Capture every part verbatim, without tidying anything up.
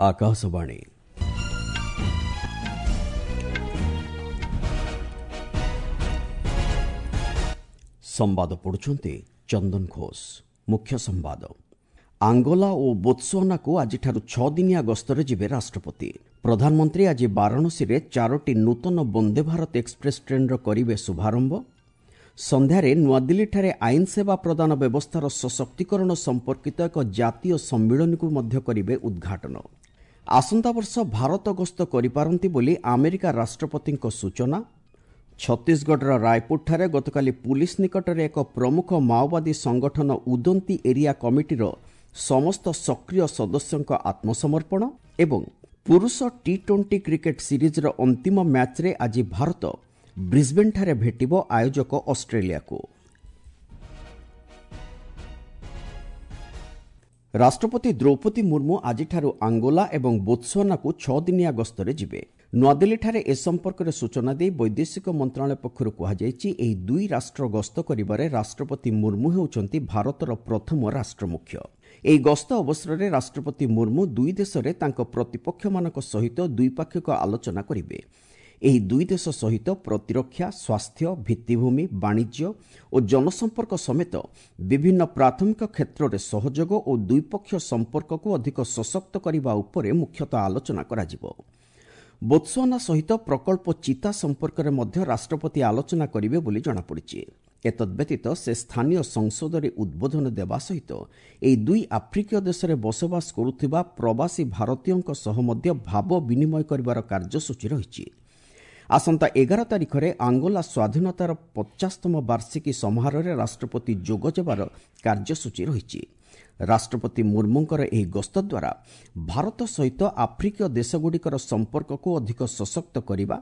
ଆକାଶବାଣୀ। ସମ୍ବାଦ ପଢୁଛନ୍ତି ଚନ୍ଦନ ଘୋଷ। ମୁଖ୍ୟ ସମ୍ବାଦ। ଆଙ୍ଗୋଲା ଓ ବୋତ୍ସୁଆନାକୁ ଆଜିଠାରୁ ଛଅ ଦିନିଆ ଗସ୍ତରେ ଯିବେ ରାଷ୍ଟ୍ରପତି। ପ୍ରଧାନମନ୍ତ୍ରୀ ଆଜି ବାରାଣସୀରେ ଚାରୋଟି ନୂତନ ବନ୍ଦେ ଭାରତ ଏକ୍ସପ୍ରେସ୍ ଟ୍ରେନ୍ର କରିବେ ଶୁଭାରମ୍ଭ। ସନ୍ଧ୍ୟାରେ ନୂଆଦିଲ୍ଲୀଠାରେ ଆଇନ ସେବା ପ୍ରଦାନ ବ୍ୟବସ୍ଥାର ସଶକ୍ତିକରଣ ସମ୍ପର୍କିତ ଏକ ଜାତୀୟ ସମ୍ମିଳନୀକୁ ମଧ୍ୟ କରିବେ ଉଦ୍ଘାଟନ। ଆସନ୍ତା ବର୍ଷ ଭାରତ ଗସ୍ତ କରିପାରନ୍ତି ବୋଲି ଆମେରିକା ରାଷ୍ଟ୍ରପତିଙ୍କ ସୂଚନା। ଛତିଶଗଡ଼ର ରାୟପୁରଠାରେ ଗତକାଲି ପୁଲିସ୍ ନିକଟରେ ଏକ ପ୍ରମୁଖ ମାଓବାଦୀ ସଂଗଠନ ଉଦନ୍ତି ଏରିଆ କମିଟିର ସମସ୍ତ ସକ୍ରିୟ ସଦସ୍ୟଙ୍କ ଆତ୍ମସମର୍ପଣ। ଏବଂ ପୁରୁଷ ଟି ଟ୍ୱେଣ୍ଟି କ୍ରିକେଟ୍ ସିରିଜ୍ର ଅନ୍ତିମ ମ୍ୟାଚ୍ରେ ଆଜି ଭାରତ ବ୍ରିସ୍ବେନ୍ଠାରେ ଭେଟିବ ଆୟୋଜକ ଅଷ୍ଟ୍ରେଲିଆକୁ। ରାଷ୍ଟ୍ରପତି ଦ୍ରୌପଦୀ ମୁର୍ମୁ ଆଜିଠାରୁ ଆଙ୍ଗୋଲା ଏବଂ ବୋତ୍ସୁଆନାକୁ ଛଅ ଦିନିଆ ଗସ୍ତରେ ଯିବେ। ନୂଆଦିଲ୍ଲୀଠାରେ ଏ ସମ୍ପର୍କରେ ସୂଚନା ଦେଇ ବୈଦେଶିକ ମନ୍ତ୍ରଣାଳୟ ପକ୍ଷରୁ କୁହାଯାଇଛି, ଏହି ଦୁଇ ରାଷ୍ଟ୍ର ଗସ୍ତ କରିବାରେ ରାଷ୍ଟ୍ରପତି ମୁର୍ମୁ ହେଉଛନ୍ତି ଭାରତର ପ୍ରଥମ ରାଷ୍ଟ୍ରମୁଖ୍ୟ। ଏହି ଗସ୍ତ ଅବସରରେ ରାଷ୍ଟ୍ରପତି ମୁର୍ମୁ ଦୁଇ ଦେଶରେ ତାଙ୍କ ପ୍ରତିପକ୍ଷମାନଙ୍କ ସହିତ ଦ୍ୱିପାକ୍ଷିକ ଆଲୋଚନା କରିବେ। ଏହି ଦୁଇ ଦେଶ ସହିତ ପ୍ରତିରକ୍ଷା, ସ୍ୱାସ୍ଥ୍ୟ, ଭିତ୍ତିଭୂମି, ବାଣିଜ୍ୟ ଓ ଜନସମ୍ପର୍କ ସମେତ ବିଭିନ୍ନ ପ୍ରାଥମିକ କ୍ଷେତ୍ରରେ ସହଯୋଗ ଓ ଦ୍ୱିପକ୍ଷୀୟ ସମ୍ପର୍କକୁ ଅଧିକ ସଶକ୍ତ କରିବା ଉପରେ ମୁଖ୍ୟତଃ ଆଲୋଚନା କରାଯିବ। ବୋତ୍ସୁଆନା ସହିତ ପ୍ରକଳ୍ପ ଚିତା ସମ୍ପର୍କରେ ମଧ୍ୟ ରାଷ୍ଟ୍ରପତି ଆଲୋଚନା କରିବେ ବୋଲି ଜଣାପଡ଼ିଛି। ଏତଦ୍ବ୍ୟତୀତ ସେ ସ୍ଥାନୀୟ ସଂସଦରେ ଉଦ୍ବୋଧନ ଦେବା ସହିତ ଏହି ଦୁଇ ଆଫ୍ରିକୀୟ ଦେଶରେ ବସବାସ କରୁଥିବା ପ୍ରବାସୀ ଭାରତୀୟଙ୍କ ସହ ମଧ୍ୟ ଭାବ ବିନିମୟ କରିବାର କାର୍ଯ୍ୟସୂଚୀ ରହିଛି। ଆସନ୍ତା ଏଗାର ତାରିଖରେ ଆଙ୍ଗୋଲା ସ୍ୱାଧୀନତାର ପଚାଶତମ ବାର୍ଷିକୀ ସମାରୋହରେ ରାଷ୍ଟ୍ରପତି ଯୋଗ ଦେବାର କାର୍ଯ୍ୟସୂଚୀ ରହିଛି। ରାଷ୍ଟ୍ରପତି ମୁର୍ମୁଙ୍କର ଏହି ଗସ୍ତ ଦ୍ୱାରା ଭାରତ ସହିତ ଆଫ୍ରିକୀୟ ଦେଶଗୁଡ଼ିକର ସମ୍ପର୍କକୁ ଅଧିକ ସଶକ୍ତ କରିବା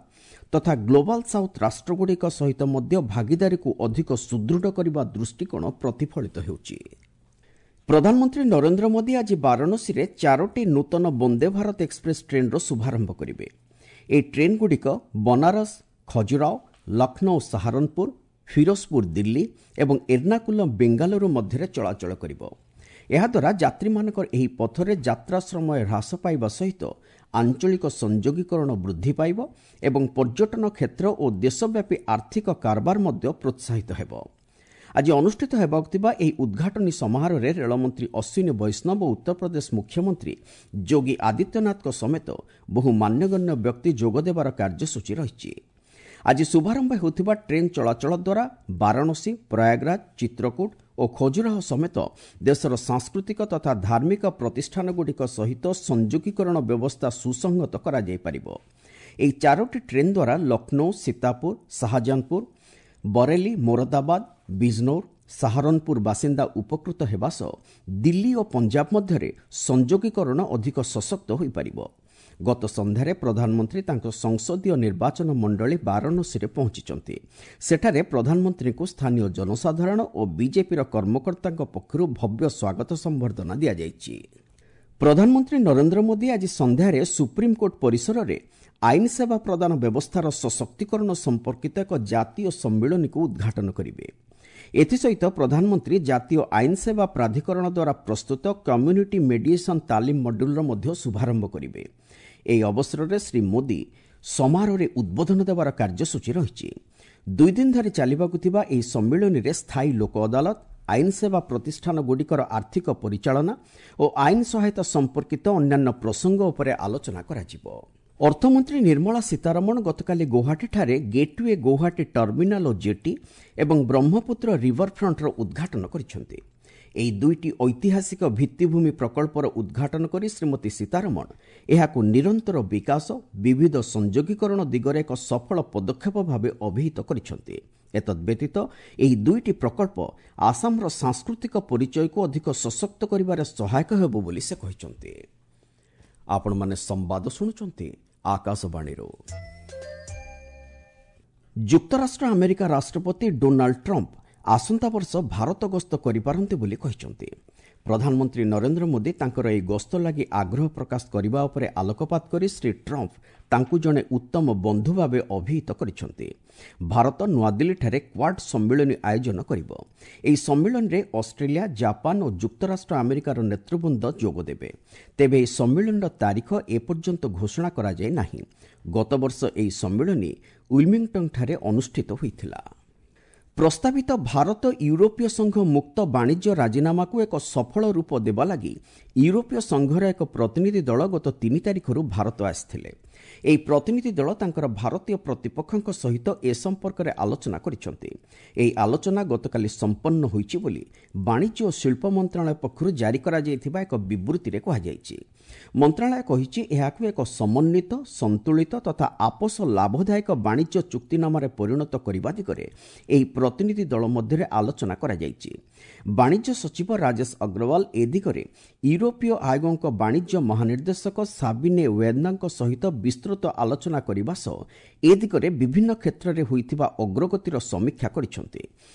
ତଥା ଗ୍ଲୋବାଲ ସାଉଥ୍ ରାଷ୍ଟ୍ରଗୁଡ଼ିକ ସହିତ ମଧ୍ୟ ଭାଗିଦାରୀକୁ ଅଧିକ ସୁଦୃଢ଼ କରିବା ଦୃଷ୍ଟିକୋଣ ପ୍ରତିଫଳିତ ହେଉଛି। ପ୍ରଧାନମନ୍ତ୍ରୀ ନରେନ୍ଦ୍ର ମୋଦି ଆଜି ବାରାଣସୀରେ ଚାରୋଟି ନୂତନ ବନ୍ଦେ ଭାରତ ଏକ୍ସପ୍ରେସ୍ ଟ୍ରେନ୍ର ଶୁଭାରମ୍ଭ କରିବେ। ଏହି ଟ୍ରେନ୍ଗୁଡ଼ିକ ବନାରସ ଖଜୁରାଓ, ଲକ୍ଷ୍ନୌ ସାହାରନପୁର, ଫିରୋଜପୁର ଦିଲ୍ଲୀ ଏବଂ ଏର୍ଣ୍ଣାକୁଲମ୍ ବେଙ୍ଗାଲୁରୁ ମଧ୍ୟରେ ଚଳାଚଳ କରିବ। ଏହାଦ୍ୱାରା ଯାତ୍ରୀମାନଙ୍କର ଏହି ପଥରେ ଯାତ୍ରା ସମୟ ହ୍ରାସ ପାଇବା ସହିତ ଆଞ୍ଚଳିକ ସଂଯୋଗୀକରଣ ବୃଦ୍ଧି ପାଇବ ଏବଂ ପର୍ଯ୍ୟଟନ କ୍ଷେତ୍ର ଓ ଦେଶବ୍ୟାପୀ ଆର୍ଥିକ କାରବାର ମଧ୍ୟ ପ୍ରୋତ୍ସାହିତ ହେବ। ଆଜି ଅନୁଷ୍ଠିତ ହେବାକୁ ଥିବା ଏହି ଉଦ୍ଘାଟନୀ ସମାରୋହରେ ରେଳମନ୍ତ୍ରୀ ଅଶ୍ୱିନୀ ବୈଷ୍ଣବ ଓ ଉତ୍ତରପ୍ରଦେଶ ମୁଖ୍ୟମନ୍ତ୍ରୀ ଯୋଗୀ ଆଦିତ୍ୟନାଥଙ୍କ ସମେତ ବହୁ ମାନ୍ୟଗଣ୍ୟ ବ୍ୟକ୍ତି ଯୋଗଦେବାର କାର୍ଯ୍ୟସୂଚୀ ରହିଛି। ଆଜି ଶୁଭାରମ୍ଭ ହେଉଥିବା ଟ୍ରେନ୍ ଚଳାଚଳ ଦ୍ୱାରା ବାରାଣସୀ, ପ୍ରୟାଗରାଜ, ଚିତ୍ରକୂଟ ଓ ଖଜୁରାହୋ ସମେତ ଦେଶର ସାଂସ୍କୃତିକ ତଥା ଧାର୍ମିକ ପ୍ରତିଷ୍ଠାନଗୁଡ଼ିକ ସହିତ ସଂଯୋଗୀକରଣ ବ୍ୟବସ୍ଥା ସୁସଂହତ କରାଯାଇପାରିବ। ଏହି ଚାରୋଟି ଟ୍ରେନ୍ ଦ୍ୱାରା ଲକ୍ଷ୍ନୌ, ସୀତାପୁର, ଶାହଜାହାନପୁର, ବରେଲି, ମୋରଦାବାଦ, ବିଜନୌର, ସାହାରନପୁର ବାସିନ୍ଦା ଉପକୃତ ହେବା ସହ ଦିଲ୍ଲୀ ଓ ପଞ୍ଜାବ ମଧ୍ୟରେ ସଂଯୋଗୀକରଣ ଅଧିକ ସଶକ୍ତ ହୋଇପାରିବ। ଗତ ସନ୍ଧ୍ୟାରେ ପ୍ରଧାନମନ୍ତ୍ରୀ ତାଙ୍କ ସଂସଦୀୟ ନିର୍ବାଚନ ମଣ୍ଡଳୀ ବାରାଣସୀରେ ପହଞ୍ଚିଛନ୍ତି। ସେଠାରେ ପ୍ରଧାନମନ୍ତ୍ରୀଙ୍କୁ ସ୍ଥାନୀୟ ଜନସାଧାରଣ ଓ ବିଜେପିର କର୍ମକର୍ତ୍ତାଙ୍କ ପକ୍ଷରୁ ଭବ୍ୟ ସ୍ୱାଗତ ସମ୍ବର୍ଦ୍ଧନା ଦିଆଯାଇଛି। ପ୍ରଧାନମନ୍ତ୍ରୀ ନରେନ୍ଦ୍ର ମୋଦି ଆଜି ସନ୍ଧ୍ୟାରେ ସୁପ୍ରିମକୋର୍ଟ ପରିସରରେ ଆଇନ ସେବା ପ୍ରଦାନ ବ୍ୟବସ୍ଥାର ସଶକ୍ତିକରଣ ସମ୍ପର୍କିତ ଏକ ଜାତୀୟ ସମ୍ମିଳନୀକୁ ଉଦ୍ଘାଟନ କରିବେ। ଏଥିସହିତ ପ୍ରଧାନମନ୍ତ୍ରୀ ଜାତୀୟ ଆଇନ ସେବା ପ୍ରାଧିକରଣ ଦ୍ୱାରା ପ୍ରସ୍ତୁତ କମ୍ୟୁନିଟି ମେଡିଏସନ୍ ତାଲିମ ମଡ୍ୟୁଲ୍ର ମଧ୍ୟ ଶୁଭାରମ୍ଭ କରିବେ। ଏହି ଅବସରରେ ଶ୍ରୀ ମୋଦି ସମାରୋହରେ ଉଦ୍ବୋଧନ ଦେବାର କାର୍ଯ୍ୟସୂଚୀ ରହିଛି। ଦୁଇ ଦିନ ଧରି ଚାଲିବାକୁ ଥିବା ଏହି ସମ୍ମିଳନୀରେ ସ୍ଥାୟୀ ଲୋକ ଅଦାଲତ, ଆଇନ ସେବା ପ୍ରତିଷ୍ଠାନଗୁଡ଼ିକର ଆର୍ଥିକ ପରିଚାଳନା ଓ ଆଇନ ସହାୟତା ସମ୍ପର୍କିତ ଅନ୍ୟାନ୍ୟ ପ୍ରସଙ୍ଗ ଉପରେ ଆଲୋଚନା କରାଯିବ। ଅର୍ଥମନ୍ତ୍ରୀ ନିର୍ମଳା ସୀତାରମଣ ଗତକାଲି ଗୌହାଟୀଠାରେ ଗେଟ୍ୱେ ଗୌହାଟୀ ଟର୍ମିନାଲ ଓ ଜେଟି ଏବଂ ବ୍ରହ୍ମପୁତ୍ର ରିଭରଫ୍ରଣ୍ଟର ଉଦ୍ଘାଟନ କରିଛନ୍ତି। ଏହି ଦୁଇଟି ଐତିହାସିକ ଭିତ୍ତିଭୂମି ପ୍ରକଳ୍ପର ଉଦ୍ଘାଟନ କରି ଶ୍ରୀମତୀ ସୀତାରମଣ ଏହାକୁ ନିରନ୍ତର ବିକାଶ, ବିବିଧ ସଂଯୋଗୀକରଣ ଦିଗରେ ଏକ ସଫଳ ପଦକ୍ଷେପ ଭାବେ ଅଭିହିତ କରିଛନ୍ତି। ଏତଦ୍ବ୍ୟତୀତ ଏହି ଦୁଇଟି ପ୍ରକଳ୍ପ ଆସାମର ସାଂସ୍କୃତିକ ପରିଚୟକୁ ଅଧିକ ସଶକ୍ତ କରିବାରେ ସହାୟକ ହେବ ବୋଲି ସେ କହିଛନ୍ତି। ଆପଣମାନେ ସମ୍ବାଦ ଶୁଣୁଛନ୍ତି ଆକାଶବାଣୀରୁ। ଯୁକ୍ତରାଷ୍ଟ୍ର ଆମେରିକା ରାଷ୍ଟ୍ରପତି ଡୋନାଲ୍ଡ ଟ୍ରମ୍ପ ଆସନ୍ତା ବର୍ଷ ଭାରତ ଗସ୍ତ କରିପାରନ୍ତି ବୋଲି କହିଛନ୍ତି। ପ୍ରଧାନମନ୍ତ୍ରୀ ନରେନ୍ଦ୍ର ମୋଦି ତାଙ୍କର ଏହି ଗସ୍ତ ଲାଗି ଆଗ୍ରହ ପ୍ରକାଶ କରିବା ଉପରେ ଆଲୋକପାତ କରି ଶ୍ରୀ ଟ୍ରମ୍ପ ତାଙ୍କୁ ଜଣେ ଉତ୍ତମ ବନ୍ଧୁ ଭାବେ ଅଭିହିତ କରିଛନ୍ତି। ଭାରତ ନୂଆଦିଲ୍ଲୀଠାରେ କ୍ୱାଡ୍ ସମ୍ମିଳନୀ ଆୟୋଜନ କରିବ। ଏହି ସମ୍ମିଳନୀରେ ଅଷ୍ଟ୍ରେଲିଆ, ଜାପାନ ଓ ଯୁକ୍ତରାଷ୍ଟ୍ର ଆମେରିକାର ନେତୃବୃନ୍ଦ ଯୋଗଦେବେ। ତେବେ ଏହି ସମ୍ମିଳନୀର ତାରିଖ ଏପର୍ଯ୍ୟନ୍ତ ଘୋଷଣା କରାଯାଇ ନାହିଁ। ଗତବର୍ଷ ଏହି ସମ୍ମିଳନୀ ୱିଲମିଂଟନ୍ଠାରେ ଅନୁଷ୍ଠିତ ହୋଇଥିଲା। ପ୍ରସ୍ତାବିତ ଭାରତ ୟୁରୋପୀୟ ସଂଘ ମୁକ୍ତ ବାଣିଜ୍ୟ ରାଜିନାମାକୁ ଏକ ସଫଳ ରୂପ ଦେବା ଲାଗି ୟୁରୋପୀୟ ସଂଘର ଏକ ପ୍ରତିନିଧି ଦଳ ଗତ ତିନି ତାରିଖରୁ ଭାରତ ଆସିଥିଲେ। ଏହି ପ୍ରତିନିଧି ଦଳ ତାଙ୍କର ଭାରତୀୟ ପ୍ରତିପକ୍ଷଙ୍କ ସହିତ ଏ ସମ୍ପର୍କରେ ଆଲୋଚନା କରିଛନ୍ତି। ଏହି ଆଲୋଚନା ଗତକାଲି ସମ୍ପନ୍ନ ହୋଇଛି ବୋଲି ବାଣିଜ୍ୟ ଓ ଶିଳ୍ପ ମନ୍ତ୍ରଣାଳୟ ପକ୍ଷରୁ ଜାରି କରାଯାଇଥିବା ଏକ ବିବୃତ୍ତିରେ କୁହାଯାଇଛି। ମନ୍ତ୍ରଣାଳୟ କହିଛି, ଏହାକୁ ଏକ ସମନ୍ୱିତ, ସନ୍ତୁଳିତ ତଥା ଆପୋଷ ଲାଭଦାୟକ ବାଣିଜ୍ୟ ଚୁକ୍ତିନାମାରେ ପରିଣତ କରିବା ଦିଗରେ ଏହି ପ୍ରତିନିଧି ଦଳ ମଧ୍ୟରେ ଆଲୋଚନା କରାଯାଇଛି। ବାଣିଜ୍ୟ ସଚିବ ରାଜେଶ ଅଗ୍ରୱାଲ ଏ ଦିଗରେ ୟୁରୋପୀୟ ଆୟୋଗଙ୍କ ବାଣିଜ୍ୟ ମହାନିର୍ଦ୍ଦେଶକ ସାବିନେ ୱେର୍ନାଙ୍କ ସହିତ ବିସ୍ତୃତ ଆଲୋଚନା କରିବା ସହ ଏ ଦିଗରେ ବିଭିନ୍ନ କ୍ଷେତ୍ରରେ ହୋଇଥିବା ଅଗ୍ରଗତିର ସମୀକ୍ଷା କରିଛନ୍ତି।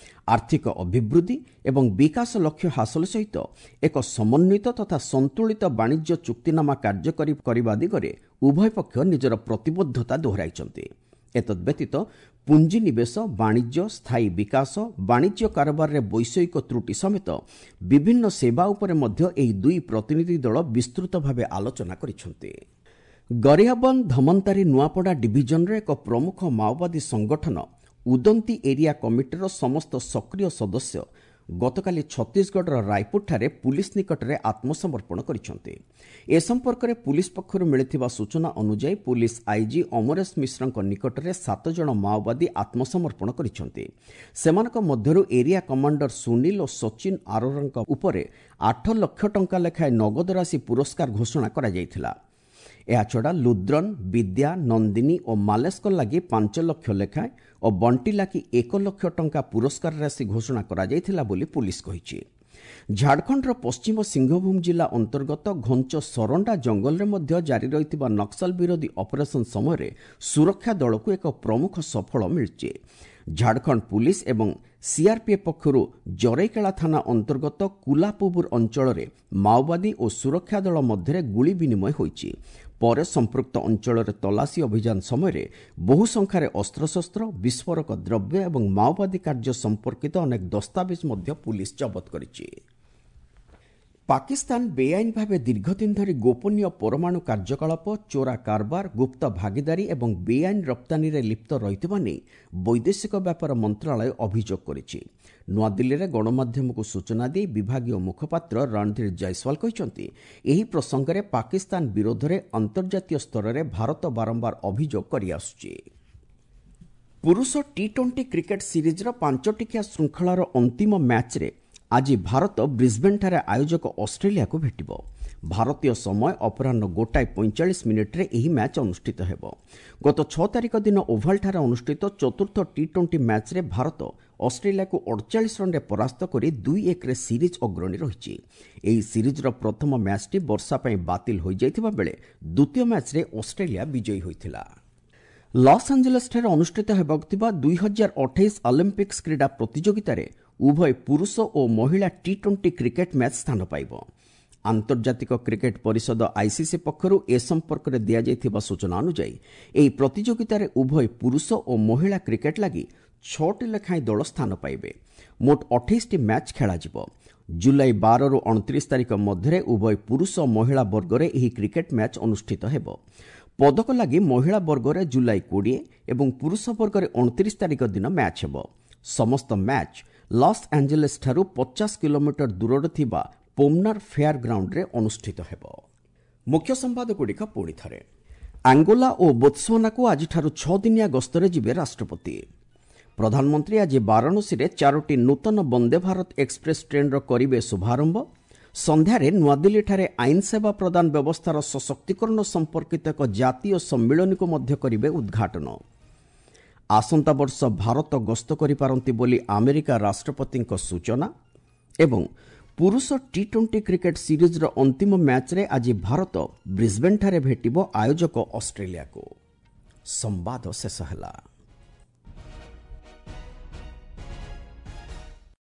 ଆର୍ଥିକ ଅଭିବୃଦ୍ଧି ଏବଂ ବିକାଶ ଲକ୍ଷ୍ୟ ହାସଲ ସହିତ ଏକ ସମନ୍ୱିତ ତଥା ସନ୍ତୁଳିତ ବାଣିଜ୍ୟ ଚୁକ୍ତିନାମା କାର୍ଯ୍ୟକାରୀ କରିବା ଦିଗରେ ଉଭୟ ପକ୍ଷ ନିଜର ପ୍ରତିବଦ୍ଧତା ଦୋହରାଇଛନ୍ତି। ଏତଦ୍ବ୍ୟତୀତ ପୁଞ୍ଜିନିବେଶ, ବାଣିଜ୍ୟ, ସ୍ଥାୟୀ ବିକାଶ, ବାଣିଜ୍ୟ କାରବାରରେ ବୈଷୟିକ ତ୍ରୁଟି ସମେତ ବିଭିନ୍ନ ସେବା ଉପରେ ମଧ୍ୟ ଏହି ଦୁଇ ପ୍ରତିନିଧି ଦଳ ବିସ୍ତୃତ ଭାବେ ଆଲୋଚନା କରିଛନ୍ତି। ଗରିଆବନ୍ଦ ଧମନ୍ତାରୀ ନୂଆପଡ଼ା ଡିଭିଜନର ଏକ ପ୍ରମୁଖ ମାଓବାଦୀ ସଂଗଠନ ଉଦନ୍ତୀ ଏରିଆ କମିଟିର ସମସ୍ତ ସକ୍ରିୟ ସଦସ୍ୟ ଗତକାଲି ଛତିଶଗଡ଼ର ରାୟପୁରଠାରେ ପୁଲିସ୍ ନିକଟରେ ଆତ୍ମସମର୍ପଣ କରିଛନ୍ତି। ଏ ସମ୍ପର୍କରେ ପୁଲିସ୍ ପକ୍ଷରୁ ମିଳିଥିବା ସୂଚନା ଅନୁଯାୟୀ ପୁଲିସ୍ ଆଇଜି ଅମରେଶ ମିଶ୍ରଙ୍କ ନିକଟରେ ସାତ ଜଣ ମାଓବାଦୀ ଆତ୍ମସମର୍ପଣ କରିଛନ୍ତି। ସେମାନଙ୍କ ମଧ୍ୟରୁ ଏରିଆ କମାଣ୍ଡର ସୁନୀଲ ଓ ସଚିନ ଆରୋରାଙ୍କ ଉପରେ ଆଠ ଲକ୍ଷ ଟଙ୍କା ଲେଖାଏଁ ନଗଦ ରାଶି ପୁରସ୍କାର ଘୋଷଣା କରାଯାଇଥିଲା। ଏହାଛଡ଼ା ଲୁଦ୍ରନ, ବିଦ୍ୟା, ନନ୍ଦିନୀ ଓ ମାଲେଶଙ୍କ ଲାଗି ପାଞ୍ଚ ଲକ୍ଷ ଲେଖାଏଁ ଓ ବଣ୍ଟି ଲାଗି ଏକ ଲକ୍ଷ ଟଙ୍କା ପୁରସ୍କାର ରାଶି ଘୋଷଣା କରାଯାଇଥିଲା ବୋଲି ପୁଲିସ୍ କହିଛି। ଝାଡ଼ଖଣ୍ଡର ପଶ୍ଚିମ ସିଂହଭୂମ ଜିଲ୍ଲା ଅନ୍ତର୍ଗତ ଘଞ୍ଚ ସରଣ୍ଡା ଜଙ୍ଗଲରେ ମଧ୍ୟ ଜାରି ରହିଥିବା ନକ୍ସଲ ବିରୋଧୀ ଅପରେସନ ସମୟରେ ସୁରକ୍ଷା ଦଳକୁ ଏକ ପ୍ରମୁଖ ସଫଳ ମିଳିଛି। ଝାଡ଼ଖଣ୍ଡ ପୁଲିସ୍ ଏବଂ ସିଆର୍ପିଏଫ୍ ପକ୍ଷରୁ ଜରେଇକେଳା ଥାନା ଅନ୍ତର୍ଗତ କୁଲାପୁବୁର ଅଞ୍ଚଳରେ ମାଓବାଦୀ ଓ ସୁରକ୍ଷା ଦଳ ମଧ୍ୟରେ ଗୁଳି ବିନିମୟ ହୋଇଛି। ପରେ ସମ୍ପୃକ୍ତ ଅଞ୍ଚଳରେ ତଲାସୀ ଅଭିଯାନ ସମୟରେ ବହୁ ସଂଖ୍ୟାରେ ଅସ୍ତ୍ରଶସ୍ତ୍ର, ବିସ୍ଫୋରକ ଦ୍ରବ୍ୟ ଏବଂ ମାଓବାଦୀ କାର୍ଯ୍ୟ ସମ୍ପର୍କିତ ଅନେକ ଦସ୍ତାବିଜ ମଧ୍ୟ ପୁଲିସ୍ ଜବତ କରିଛି। ପାକିସ୍ତାନ ବେଆଇନ ଭାବେ ଦୀର୍ଘଦିନ ଧରି ଗୋପନୀୟ ପରମାଣୁ କାର୍ଯ୍ୟକଳାପ, ଚୋରା କାରବାର, ଗୁପ୍ତ ଭାଗିଦାରୀ ଏବଂ ବେଆଇନ ରପ୍ତାନୀରେ ଲିପ୍ତ ରହିଥିବା ନେଇ ବୈଦେଶିକ ବ୍ୟାପାର ମନ୍ତ୍ରଣାଳୟ ଅଭିଯୋଗ କରିଛି। ନୂଆଦିଲ୍ଲୀରେ ଗଣମାଧ୍ୟମକୁ ସୂଚନା ଦେଇ ବିଭାଗୀୟ ମୁଖପାତ୍ର ରଣଧୀର ଜୟସ୍ୱାଲ କହିଛନ୍ତି, ଏହି ପ୍ରସଙ୍ଗରେ ପାକିସ୍ତାନ ବିରୋଧରେ ଅନ୍ତର୍ଜାତୀୟ ସ୍ତରରେ ଭାରତ ବାରମ୍ବାର ଅଭିଯୋଗ କରିଆସୁଛି। ପୁରୁଷ ଟି ଟ୍ୱେଣ୍ଟି କ୍ରିକେଟ୍ ସିରିଜ୍ର ପାଞ୍ଚଟିକିଆ ଶୃଙ୍ଖଳାର ଅନ୍ତିମ ମ୍ୟାଚ୍ରେ ଆଜି ଭାରତ ବ୍ରିସ୍ବେନ୍ଠାରେ ଆୟୋଜକ ଅଷ୍ଟ୍ରେଲିଆକୁ ଭେଟିବ। ଭାରତୀୟ ସମୟ ଅପରାହ୍ନ ଗୋଟାଏ ପଇଁଚାଳିଶ ମିନିଟ୍ରେ ଏହି ମ୍ୟାଚ୍ ଅନୁଷ୍ଠିତ ହେବ। ଗତ ଛଅ ତାରିଖ ଦିନ ଓଭାଲଠାରେ ଅନୁଷ୍ଠିତ ଚତୁର୍ଥ ଟି ଟ୍ୱେଣ୍ଟି ମ୍ୟାଚ୍ରେ ଭାରତ ଅଷ୍ଟ୍ରେଲିଆକୁ ଅଡ଼ଚାଳିଶ ରନ୍ରେ ପରାସ୍ତ କରି ଦୁଇ ଏକରେ ସିରିଜ୍ ଅଗ୍ରଣୀ ରହିଛି। ଏହି ସିରିଜ୍ର ପ୍ରଥମ ମ୍ୟାଚ୍ଟି ବର୍ଷା ପାଇଁ ବାତିଲ ହୋଇଯାଇଥିବା ବେଳେ ଦ୍ୱିତୀୟ ମ୍ୟାଚ୍ରେ ଅଷ୍ଟ୍ରେଲିଆ ବିଜୟୀ ହୋଇଥିଲା। ଲସ୍ ଆଞ୍ଜେଲସ୍ଠାରେ ଅନୁଷ୍ଠିତ ହେବାକୁ ଥିବା ଦୁଇ ହଜାର ଅଠେଇଶ ଅଲିମ୍ପିକ୍ସ କ୍ରୀଡ଼ା ପ୍ରତିଯୋଗିତାରେ ଉଭୟ ପୁରୁଷ ଓ ମହିଳା ଟି ଟ୍ୱେଣ୍ଟି କ୍ରିକେଟ୍ ମ୍ୟାଚ୍ ସ୍ଥାନ ପାଇବ। ଆନ୍ତର୍ଜାତିକ କ୍ରିକେଟ୍ ପରିଷଦ ଆଇସିସି ପକ୍ଷରୁ ଏ ସମ୍ପର୍କରେ ଦିଆଯାଇଥିବା ସୂଚନା ଅନୁଯାୟୀ ଏହି ପ୍ରତିଯୋଗିତାରେ ଉଭୟ ପୁରୁଷ ଓ ମହିଳା କ୍ରିକେଟ୍ ଲାଗି ଛଅଟି ଲେଖାଏଁ ଦଳ ସ୍ଥାନ ପାଇବେ। ମୋଟ ଅଠେଇଶଟି ମ୍ୟାଚ୍ ଖେଳାଯିବ। ଜୁଲାଇ ବାରରୁ ଅଣତିରିଶ ତାରିଖ ମଧ୍ୟରେ ଉଭୟ ପୁରୁଷ ଓ ମହିଳା ବର୍ଗରେ ଏହି କ୍ରିକେଟ୍ ମ୍ୟାଚ୍ ଅନୁଷ୍ଠିତ ହେବ। ପଦକ ଲାଗି ମହିଳା ବର୍ଗରେ ଜୁଲାଇ କୋଡ଼ିଏ ଏବଂ ପୁରୁଷ ବର୍ଗରେ ଅଣତିରିଶ ତାରିଖ ଦିନ ମ୍ୟାଚ୍ ହେବ। ସମସ୍ତ ମ୍ୟାଚ୍ ଲସ୍ ଆଞ୍ଜେଲେସ୍ଠାରୁ ପଚାଶ କିଲୋମିଟର ଦୂରରେ ଥିବା ପୋମନାର ଫେୟାର ଗ୍ରାଉଣ୍ଡରେ ଅନୁଷ୍ଠିତ ହେବ। ମୁଖ୍ୟ ସମ୍ବାଦଗୁଡ଼ିକ ପୁଣି ଥରେ। ଆଙ୍ଗୋଲା ଓ ବୋତ୍ସୱାନାକୁ ଆଜିଠାରୁ ଛଅ ଦିନିଆ ଗସ୍ତରେ ଯିବେ ରାଷ୍ଟ୍ରପତି। ପ୍ରଧାନମନ୍ତ୍ରୀ ଆଜି ବାରାଣସୀରେ ଚାରୋଟି ନୂତନ ବନ୍ଦେ ଭାରତ ଏକ୍ସପ୍ରେସ୍ ଟ୍ରେନ୍ର କରିବେ ଶୁଭାରମ୍ଭ। ସନ୍ଧ୍ୟାରେ ନୂଆଦିଲ୍ଲୀଠାରେ ଆଇନ ସେବା ପ୍ରଦାନ ବ୍ୟବସ୍ଥାର ସଶକ୍ତିକରଣ ସମ୍ପର୍କିତ ଏକ ଜାତୀୟ ସମ୍ମିଳନୀକୁ ମଧ୍ୟ କରିବେ ଉଦ୍ଘାଟନ। ଆସନ୍ତା ବର୍ଷ ଭାରତ ଗସ୍ତ କରିପାରନ୍ତି ବୋଲି ଆମେରିକା ରାଷ୍ଟ୍ରପତିଙ୍କ ସୂଚନା। ଏବଂ ପୁରୁଷ ଟି ଟ୍ୱେଣ୍ଟି କ୍ରିକେଟ୍ ସିରିଜ୍ର ଅନ୍ତିମ ମ୍ୟାଚ୍ରେ ଆଜି ଭାରତ ବ୍ରିସ୍ବେନ୍ଠାରେ ଭେଟିବ ଆୟୋଜକ ଅଷ୍ଟ୍ରେଲିଆକୁ। ସମ୍ବାଦ ଶେଷ ହେଲା।